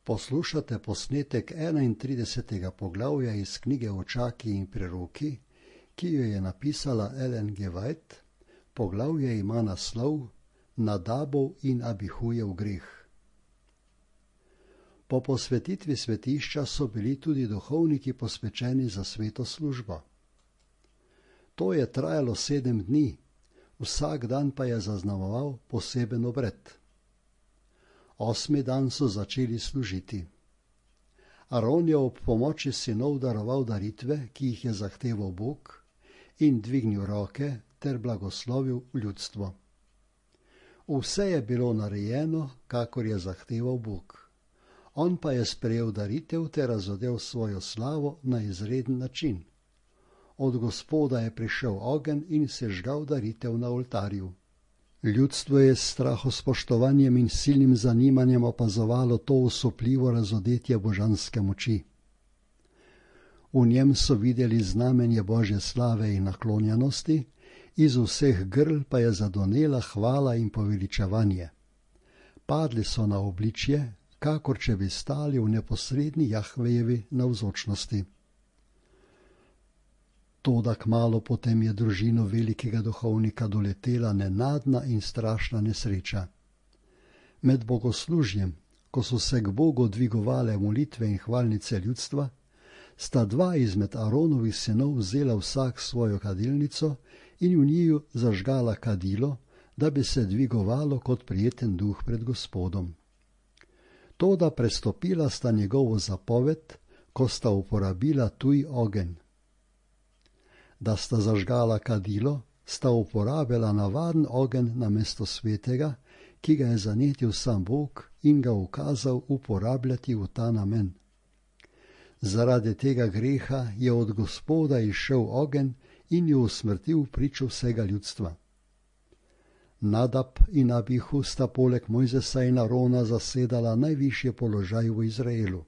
Poslušate posnetek 31. poglavja iz knjige Očaki in preroki, ki jo je napisala Ellen G. White. Poglavje ima naslov Nadabov in Abihujev greh. Po posvetitvi svetišča so bili tudi duhovniki posvečeni za sveto službo. To je trajalo 7 dni, vsak dan pa je zaznamoval poseben obred. 8. dan so začeli služiti. Aron je ob pomoči sinov daroval daritve, ki jih je zahteval Bog, in dvignil roke ter blagoslovil ljudstvo. Vse je bilo narejeno, kakor je zahteval Bog. On pa je sprejel daritev ter razodel svojo slavo na izreden način. Od Gospoda je prišel ogenj in sežgal daritev na oltarju. Ljudstvo je s strahospoštovanjem in silnim zanimanjem opazovalo to osupljivo razodetje božanske moči. V njem so videli znamenje Božje slave in naklonjenosti, iz vseh grl pa je zadonela hvala in poveličevanje. Padli so na obličje, kakor če bi stali v neposredni Jahvejevi navzočnosti. Toda kmalu potem je družino velikega duhovnika doletela nenadna in strašna nesreča. Med bogoslužjem, ko so se k Bogu dvigovale molitve in hvalnice ljudstva, sta 2 izmed Aronovih sinov vzela vsak svojo kadilnico in v njiju zažgala kadilo, da bi se dvigovalo kot prijeten duh pred Gospodom. Toda prestopila sta njegovo zapoved, ko sta uporabila tuj ogenj. Da sta zažgala kadilo, sta uporabila navaden ogenj namesto svetega, ki ga je zanetil sam Bog in ga ukazal uporabljati v ta namen. Zaradi tega greha je od Gospoda izšel ogenj in jo usmrtil pričo vsega ljudstva. Nadab in Abihu sta poleg Mojzesa in Arona zasedala najvišji položaj v Izraelu.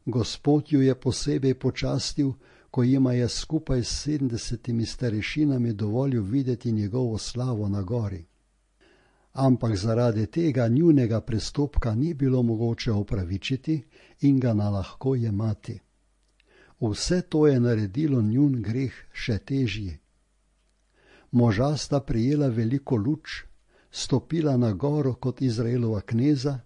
Gospod ju je posebej počastil, ko jima je skupaj s 70 starešinami dovolil videti njegovo slavo na gori. Ampak zaradi tega njunega prestopka ni bilo mogoče opravičiti in ga nalahko jemati. Vse to je naredilo njun greh še težji. Moža sta prijela veliko luč, stopila na goro kot Izraelova kneza,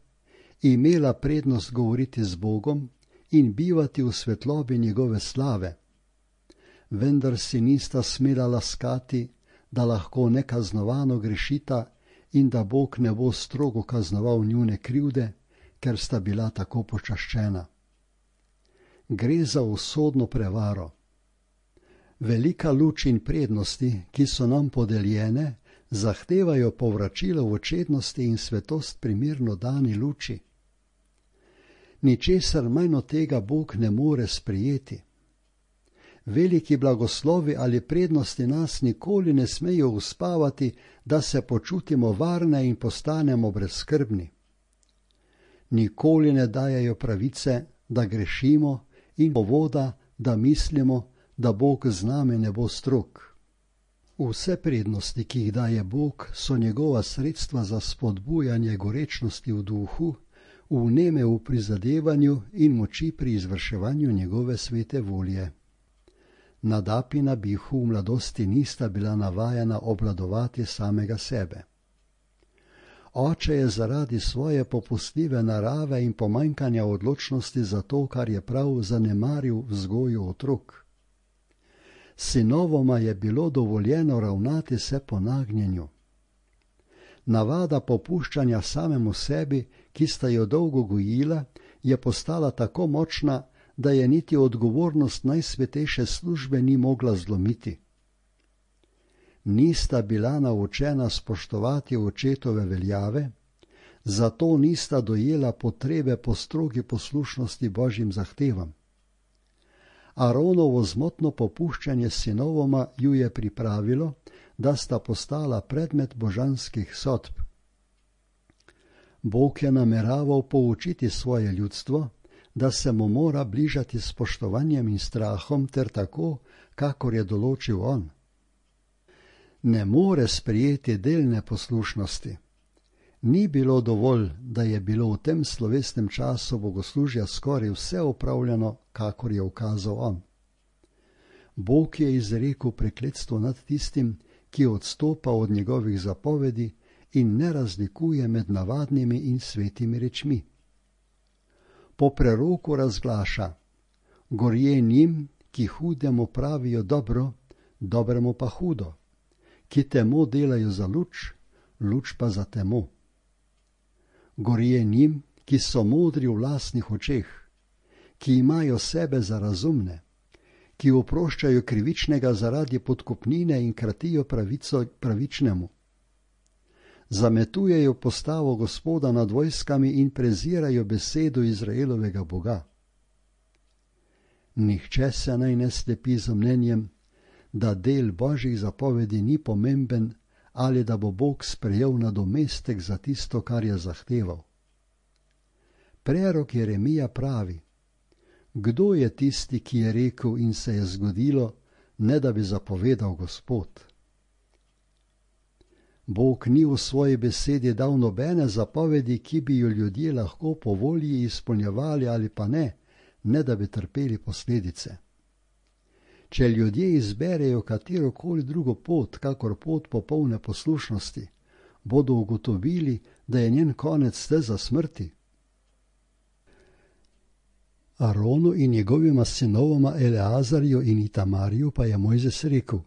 imela prednost govoriti z Bogom in bivati v svetlobi njegove slave. Vendar si nista smela laskati, da lahko nekaznovano grešita in da Bog ne bo strogo kaznoval njune krivde, ker sta bila tako počaščena. Gre za usodno prevaro. Velika luč in prednosti, ki so nam podeljene, zahtevajo povračilo v čednosti in svetost primerno dani luči. Ničesar manj od tega Bog ne more sprejeti. Veliki blagoslovi ali prednosti nas nikoli ne smejo uspavati, da se počutimo varne in postanemo brezskrbni. Nikoli ne dajajo pravice, da grešimo in povoda, da mislimo, da Bog z nami ne bo strog. Vse prednosti, ki jih daje Bog, so njegova sredstva za spodbujanje gorečnosti v duhu, vneme v prizadevanju in moči pri izvrševanju njegove svete volje. Nadab in Abihu v mladosti nista bila navajena obvladovati samega sebe. Oče je zaradi svoje popustljive narave in pomanjkanja odločnosti za to, kar je prav, zanemaril vzgojo otrok. Sinovoma je bilo dovoljeno ravnati se po nagnjenju. Navada popuščanja samemu sebi, ki sta jo dolgo gojila, je postala tako močna, da je niti odgovornost najsvetejše službe ni mogla zlomiti. Nista bila naučena spoštovati očetove veljave, zato nista dojela potrebe po strogi poslušnosti Božjim zahtevam. Aronovo zmotno popuščanje sinovoma ju je pripravilo, da sta postala predmet božanskih sodb. Bog je nameraval poučiti svoje ljudstvo, da se mu mora bližati s spoštovanjem in strahom ter tako, kakor je določil on. Ne more sprejeti delne poslušnosti. Ni bilo dovolj, da je bilo v tem slovesnem času bogoslužja skoraj vse opravljeno, kakor je ukazal on. Bog je izrekel prekletstvo nad tistim, ki odstopa od njegovih zapovedi in ne razlikuje med navadnimi in svetimi rečmi. Po preroku razglaša: gorje njim, ki hudemu pravijo dobro, dobremu pa hudo, ki temo delajo za luč, luč pa za temo. Gorje njim, ki so modri v lastnih očeh, ki imajo sebe za razumne, ki oproščajo krivičnega zaradi podkupnine in kratijo pravico pravičnemu. Zametujejo postavo Gospoda nad vojskami in prezirajo besedo Izraelovega Boga. Nihče se naj ne slepi z mnenjem, da del Božjih zapovedi ni pomemben ali da bo Bog sprejel nadomestek za tisto, kar je zahteval. Prerok Jeremija pravi: kdo je tisti, ki je rekel in se je zgodilo, ne da bi zapovedal Gospod? Bog ni v svoji besedi dal nobene zapovedi, ki bi jo ljudje lahko po volji izpolnjevali ali pa ne, ne da bi trpeli posledice. Če ljudje izberejo katerokoli drugo pot, kakor pot popolne poslušnosti, bodo ugotovili, da je njen konec steza smrti. Aronu in njegovima sinovoma Eleazarju in Itamarju pa je Mojzes rekel: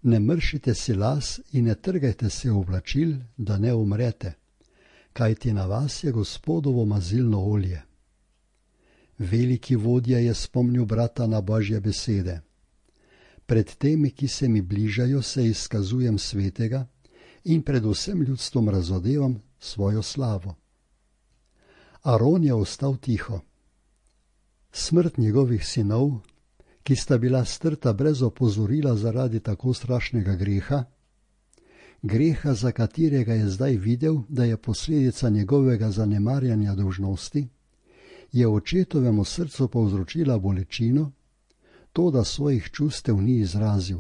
ne mršite si las in ne trgajte se oblačil, da ne umrete, kajti na vas je Gospodovo mazilno olje. Veliki vodja je spomnil brata na Božje besede: pred temi, ki se mi bližajo, se izkazujem svetega in pred vsem ljudstvom razodevam svojo slavo. Aron je ostal tiho. Smrt njegovih sinov, ki sta bila strta brez opozorila zaradi tako strašnega greha, greha, za katerega je zdaj videl, da je posledica njegovega zanemarjanja dolžnosti, je očetovemu srcu povzročila bolečino, to, da svojih čustev ni izrazil.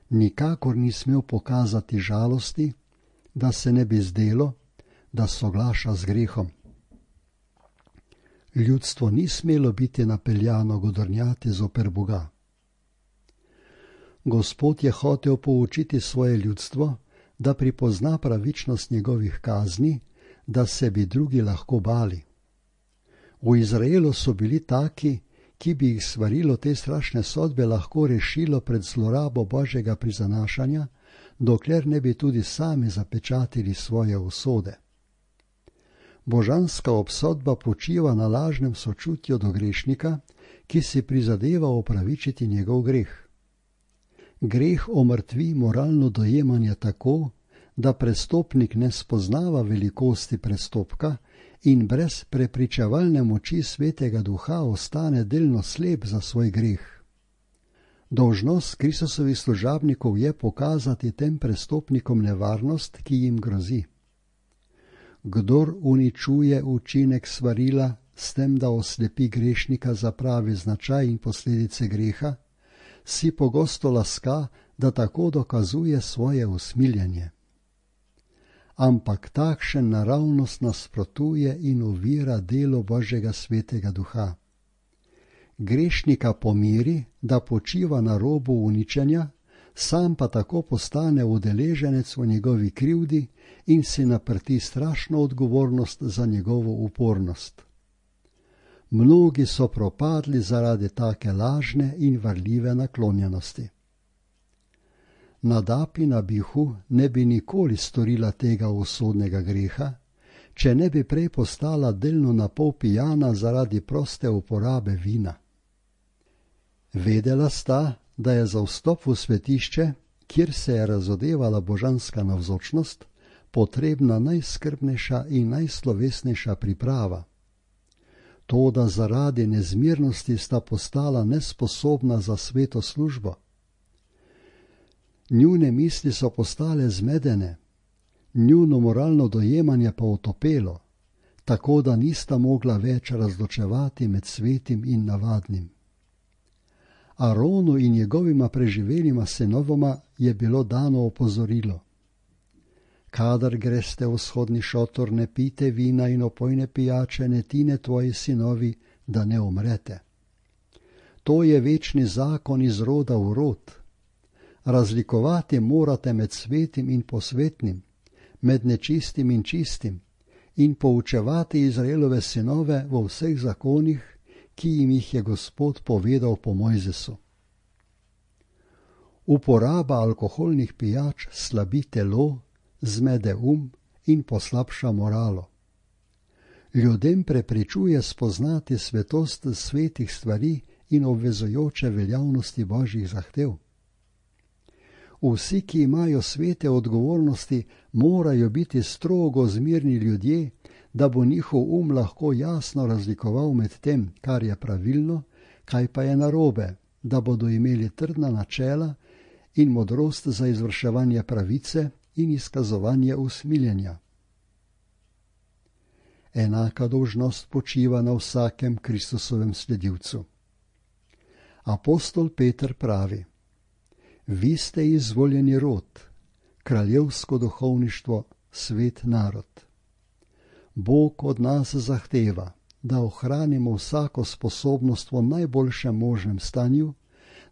Nikakor ni smel pokazati žalosti, da se ne bi zdelo, da soglaša z grehom. Ljudstvo ni smelo biti napeljano godrnjati zoper Boga. Gospod je hotel poučiti svoje ljudstvo, da pripozna pravičnost njegovih kazni, da se bi drugi lahko bali. V Izraelu so bili taki, ki bi jih svarilo te strašne sodbe lahko rešilo pred zlorabo Božjega prizanašanja, dokler ne bi tudi sami zapečatili svoje usode. Božanska obsodba počiva na lažnem sočutju do grešnika, ki si prizadeva opravičiti njegov greh. Greh omrtvi moralno dojemanje tako, da prestopnik ne spoznava velikosti prestopka in brez prepričevalne moči Svetega Duha ostane delno slep za svoj greh. Dolžnost Kristusovih služabnikov je pokazati tem prestopnikom nevarnost, ki jim grozi. Kdor uničuje učinek svarila s tem, da oslepi grešnika za pravi značaj in posledice greha, si pogosto laska, da tako dokazuje svoje usmiljenje. Ampak takšen naravnost nasprotuje in ovira delo Božjega Svetega Duha. Grešnika pomiri, da počiva na robu uničenja, sam pa tako postane udeleženec v njegovi krivdi in si naprti strašno odgovornost za njegovo upornost. Mnogi so propadli zaradi take lažne in varljive naklonjenosti. Nadab in Abihu ne bi nikoli storila tega usodnega greha, če ne bi prej postala delno napol pijana zaradi proste uporabe vina. Vedela sta, da je za vstop v svetišče, kjer se je razodevala božanska navzočnost, potrebna najskrbnejša in najslovesnejša priprava. Toda zaradi nezmirnosti sta postala nesposobna za sveto službo. Njune misli so postale zmedene, njuno moralno dojemanje pa otopelo, tako da nista mogla več razločevati med svetim in navadnim. Aronu in njegovima preživelima sinovoma je bilo dano opozorilo. Kadar greste v vzhodni šotor, ne pite vina in opojne pijače, ne tine tvoji sinovi, da ne umrete. To je večni zakon iz roda v rod. Razlikovati morate med svetim in posvetnim, med nečistim in čistim, in poučevati Izraelove sinove v vseh zakonih, ki jim jih je Gospod povedal po Mojzesu. Uporaba alkoholnih pijač slabi telo, zmede in poslabša moralo. Ljudem preprečuje spoznati svetost svetih stvari in obvezujoče veljavnosti Božjih zahtev. Vsi, ki imajo svete odgovornosti, morajo biti strogo zmirni ljudje, da bo njihov lahko jasno razlikoval med tem, kar je pravilno, kaj pa je narobe, da bodo imeli trdna načela in modrost za izvrševanje pravice in izkazovanje usmiljenja. Enaka dolžnost počiva na vsakem Kristusovem sledilcu. Apostol Peter pravi: Vi ste izvoljeni rod, kraljevsko duhovništvo, svet narod. Bog od nas zahteva, da ohranimo vsako sposobnost v najboljšem možnem stanju,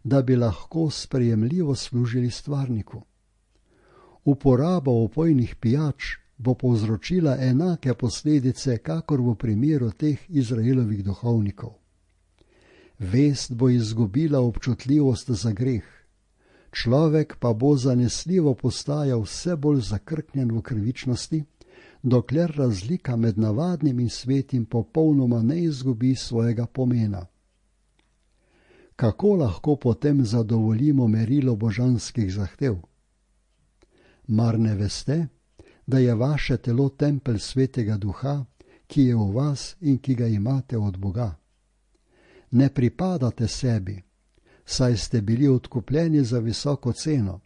da bi lahko sprejemljivo služili stvarniku. Uporaba opojnih pijač bo povzročila enake posledice, kakor v primeru teh Izraelovih duhovnikov. Vest bo izgubila občutljivost za greh, človek pa bo zanesljivo postajal vse bolj zakrknjen v krivičnosti, dokler razlika med navadnim in svetim popolnoma ne izgubi svojega pomena. Kako lahko potem zadovoljimo merilo božanskih zahtev? Mar ne veste, da je vaše telo tempelj Svetega Duha, ki je v vas in ki ga imate od Boga? Ne pripadate sebi, saj ste bili odkupljeni za visoko ceno.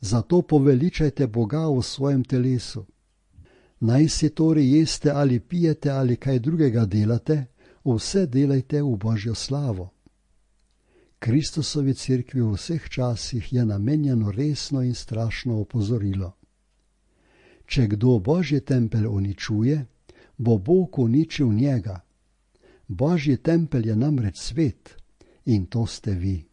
Zato poveličajte Boga v svojem telesu. Naj si torej jeste ali pijete ali kaj drugega delate, vse delajte v Božjo slavo. Kristusovi cerkvi v vseh časih je namenjeno resno in strašno opozorilo. Če kdo Božji tempelj uničuje, bo Bog uničil njega. Božji tempelj je namreč svet in to ste vi.